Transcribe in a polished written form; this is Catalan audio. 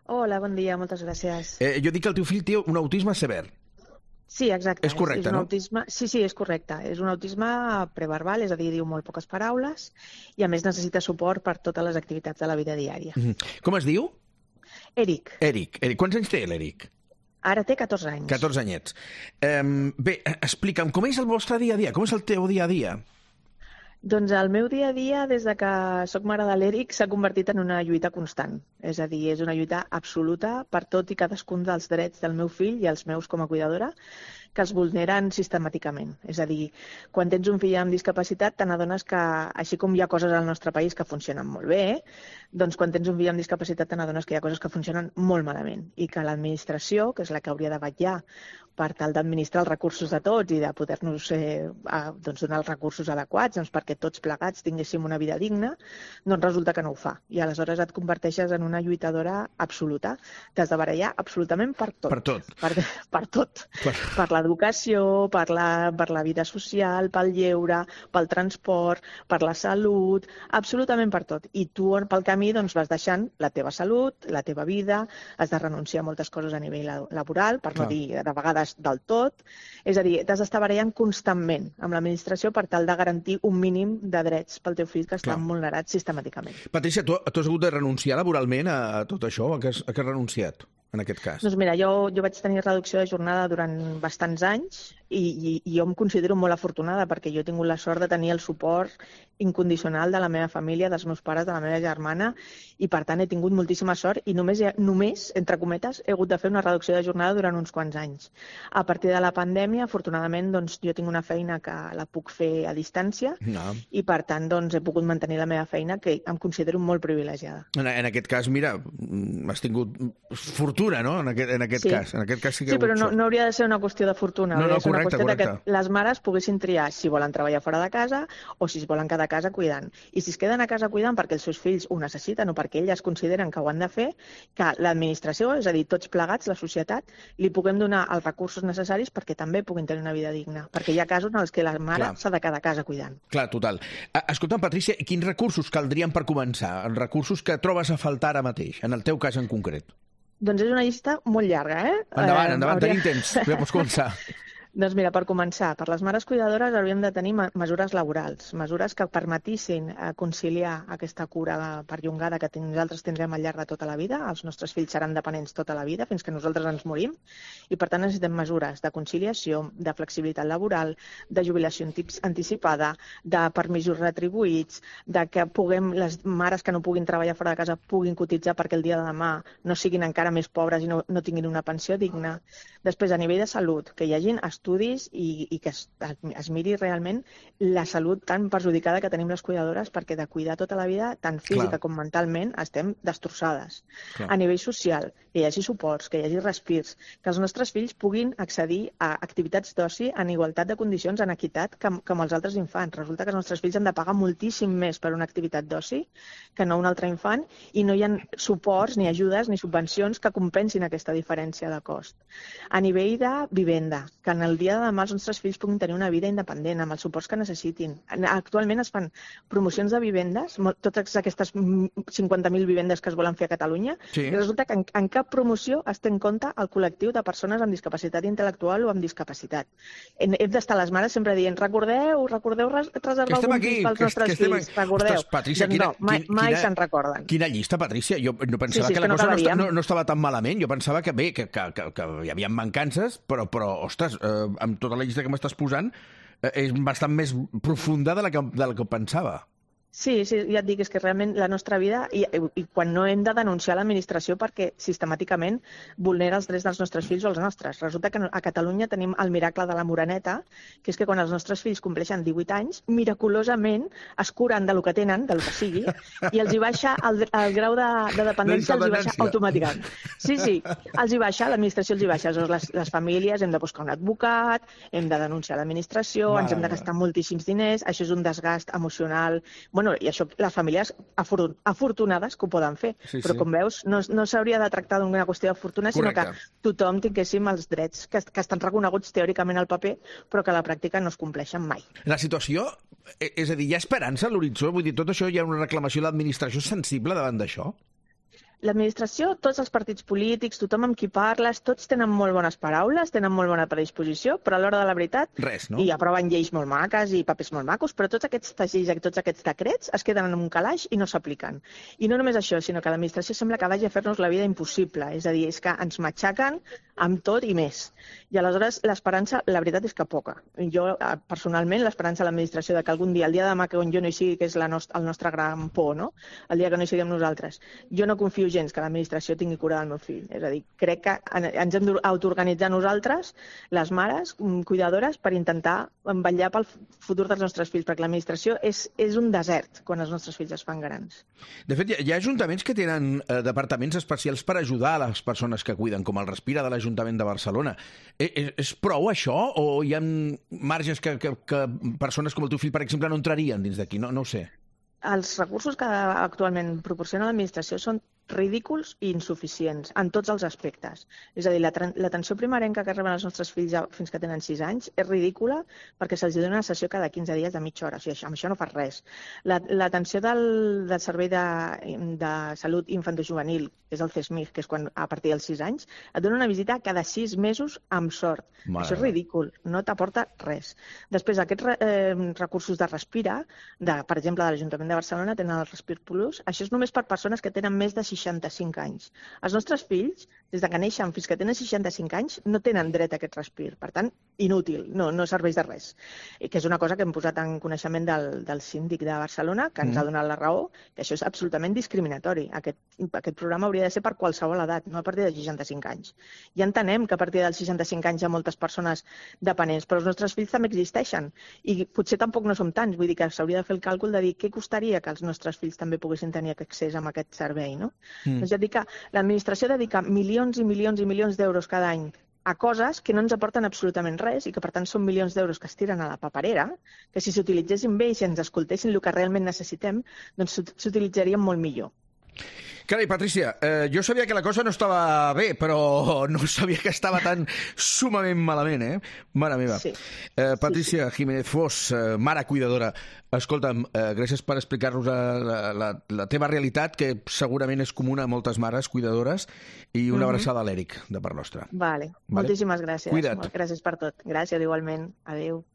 Hola, bon dia, moltes gràcies. Jo dic que el teu fill té un autisme sever. Sí, exacte. És correcte, un no? autisme... Sí, és correcte. És un autisme preverbal, és a dir, diu molt poques paraules i a més necessita suport per totes les activitats de la vida diària. Com es diu? Eric. Eric. Quants anys té l'Eric? Ara té 14 anys. 14 anyets. Bé, explica'm, com és el vostre dia a dia? Com és el teu dia a dia? Doncs el meu dia a dia, des de que sóc mare de l'Eric, s'ha convertit en una lluita constant. És a dir, és una lluita absoluta per tot i cadascun dels drets del meu fill i els meus com a cuidadora, que els vulneren sistemàticament. És a dir, quan tens un fill amb discapacitat, te n'adones que, així com hi ha coses al nostre país que funcionen molt bé, doncs quan tens un fill amb discapacitat te n'adones que hi ha coses que funcionen molt malament i que l'administració, que és la que hauria de vetllar per tal d'administrar els recursos de tots i de poder-nos donar els recursos adequats perquè tots plegats tinguéssim una vida digna, doncs resulta que no ho fa. I aleshores et converteixes en una lluitadora absoluta. T'has de barallar absolutament per tot. Per tot. Per tot. Per l'educació, per la vida social, pel lleure, pel transport, per la salut, absolutament per tot. I tu pel camí doncs, vas deixant la teva salut, la teva vida, has de renunciar a moltes coses a nivell laboral, per no dir de vegades del tot. És a dir, t'has d'estar barallant constantment amb l'administració per tal de garantir un mínim de drets pel teu fill que estan vulnerats sistemàticament. Patricia, tu has hagut de renunciar laboralment a tot això? A què has renunciat, en aquest cas? Doncs mira, jo vaig tenir reducció de jornada durant bastants anys i jo em considero molt afortunada perquè jo he tingut la sort de tenir el suport incondicional de la meva família, dels meus pares, de la meva germana, i per tant he tingut moltíssima sort i només, entre cometes, he hagut de fer una reducció de jornada durant uns quants anys. A partir de la pandèmia, afortunadament, doncs, jo tinc una feina que la puc fer a distància i per tant doncs, he pogut mantenir la meva feina, que em considero molt privilegiada. En aquest cas, mira, has tingut fortuna, no? En aquest cas. En aquest cas sí que però no hauria de ser una qüestió de fortuna. No, una qüestió de que les mares poguessin triar si volen treballar fora de casa o si es volen quedar a casa cuidant. I si es queden a casa cuidant perquè els seus fills ho necessiten o perquè elles consideren que ho han de fer, que l'administració, és a dir, tots plegats, la societat, li puguem donar els recursos necessaris perquè també puguin tenir una vida digna. Perquè hi ha casos en els que la mare s'ha de quedar a casa cuidant. Clar, total. Escolta'm, Patricia, quins recursos caldrien per començar? Els recursos que trobes a faltar ara mateix, en el teu cas en concret? Doncs és una llista molt llarga, Endavant, tenim temps. Ja pots començar. Doncs mira, per començar, per les mares cuidadores hauríem de tenir mesures laborals, mesures que permetissin conciliar aquesta cura perllongada que nosaltres tindrem al llarg de tota la vida. Els nostres fills seran dependents tota la vida, fins que nosaltres ens morim, i per tant necessitem mesures de conciliació, de flexibilitat laboral, de jubilació anticipada, de permisos retribuïts, de que les mares que no puguin treballar fora de casa puguin cotitzar perquè el dia de demà no siguin encara més pobres i no tinguin una pensió digna. Després, a nivell de salut, que hi hagin estudis i que es miri realment la salut tan perjudicada que tenim les cuidadores, perquè de cuidar tota la vida, tant física com mentalment, estem destrossades. A nivell social, que hi hagi suports, que hi hagi respirs, que els nostres fills puguin accedir a activitats d'oci en igualtat de condicions, en equitat, com els altres infants. Resulta que els nostres fills han de pagar moltíssim més per una activitat d'oci que no un altre infant i no hi ha suports, ni ajudes, ni subvencions que compensin aquesta diferència de cost. A nivell de vivenda, que en el dia de demà els nostres fills puguin tenir una vida independent, amb els suports que necessitin. Actualment es fan promocions de vivendes, totes aquestes 50.000 vivendes que es volen fer a Catalunya, i resulta que en cap promoció es té en compte el col·lectiu de persones amb discapacitat intel·lectual o amb discapacitat. Hem d'estar les mares sempre dient, recordeu reservar algun pis pels nostres fills, recordeu. Patrícia, mai se'n recorden. Quina llista, Patrícia? Jo pensava que la cosa no estava tan malament, jo pensava que bé, que hi havia mancances, però ostres, amb tota la llista que m'estàs posant, és bastant més profunda de la que pensava. Sí, ja et dic, és que realment la nostra vida, i quan no hem de denunciar l'administració perquè sistemàticament vulnera els drets dels nostres fills o els nostres. Resulta que a Catalunya tenim el miracle de la Moreneta, que és que quan els nostres fills compleixen 18 anys, miraculosament es curen del que tenen, del que sigui, i els hi baixa el grau de dependència, els hi baixa automàticament. Sí, els hi baixa, l'administració els hi baixa. Les famílies hem de buscar un advocat, hem de denunciar l'administració, ens hem de gastar moltíssims diners, això és un desgast emocional. I això les famílies afortunades que ho poden fer, però com veus no s'hauria de tractar d'una qüestió de fortuna, sinó que tothom tinguéssim els drets que estan reconeguts teòricament al paper, però que a la pràctica no es compleixen mai. La situació, és a dir, hi ha esperança a l'horitzó? Vull dir, tot això hi ha una reclamació de l'administració sensible davant d'això? l'administració, tots els partits polítics, tothom amb qui parles, tots tenen molt bones paraules, tenen molt bona predisposició, però a l'hora de la veritat... Res, no? I aproven lleis molt maques i papers molt macos, però tots aquests lleis i tots aquests decrets es queden en un calaix i no s'apliquen. I no només això, sinó que l'administració sembla que vagi a fer-nos la vida impossible. És a dir, és que ens matxaquen amb tot i més. I aleshores l'esperança, la veritat és que poca. Jo, personalment, l'esperança a l'administració de que algun dia, el dia de demà que jo no hi sigui, que és el nostre gran por, no? El dia que no hi siguem nosaltres, jo no confio gens que l'administració tingui cura del meu fill. És a dir, crec que ens hem d'autoorganitzar nosaltres, les mares, cuidadores, per intentar vetllar pel futur dels nostres fills, perquè l'administració és un desert quan els nostres fills es fan grans. De fet, hi ha ajuntaments que tenen departaments especials per ajudar a les persones que cuiden, com el Respira de l'Ajuntament de Barcelona. És prou això o hi ha marges que persones com el teu fill, per exemple, no entrarien dins d'aquí? No ho sé. Els recursos que actualment proporciona l'administració són ridículs i insuficients en tots els aspectes. És a dir, l'atenció primerenca que reben els nostres fills fins que tenen 6 anys és ridícula perquè se'ls dona una sessió cada 15 dies de mitja hora. O sigui, amb això no fas res. L'atenció del Servei de Salut Infantojuvenil, que és el CESMIG, que és quan a partir dels 6 anys, et dona una visita cada 6 mesos amb sort. Això és ridícul, no t'aporta res. Després, aquests recursos de Respira, per exemple, de l'Ajuntament de Barcelona, tenen el Respir Plus. Això és només per persones que tenen més de 65 anys. Els nostres fills, des de que neixen fins que tenen 65 anys, no tenen dret a aquest respir. Per tant, inútil, no serveix de res. I que és una cosa que hem posat en coneixement del síndic de Barcelona, que ens ha donat la raó, que això és absolutament discriminatori. Aquest programa hauria de ser per qualsevol edat, no a partir de 65 anys. Ja entenem que a partir dels 65 anys hi ha moltes persones dependents, però els nostres fills també existeixen. I potser tampoc no som tants, vull dir que s'hauria de fer el càlcul de dir què costaria que els nostres fills també poguessin tenir accés a aquest servei, no? Doncs ja et dic que l'administració dedica milions i milions i milions d'euros cada any a coses que no ens aporten absolutament res i que, per tant, són milions d'euros que es tiren a la paperera, que si s'utilitzessin bé i si ens escoltessin el que realment necessitem, doncs s'utilitzarien molt millor. Carai, Patrícia, jo sabia que la cosa no estava bé, però no sabia que estava tan sumament malament, Mare meva. Sí. Patrícia Jiménez Fos, mare cuidadora, escolta'm, gràcies per explicar-nos la teva realitat, que segurament és comuna a moltes mares cuidadores, i una abraçada a l'Eric, de part nostra. Vale. Moltíssimes gràcies. Cuida't. Gràcies per tot. Gràcies, igualment. Adéu.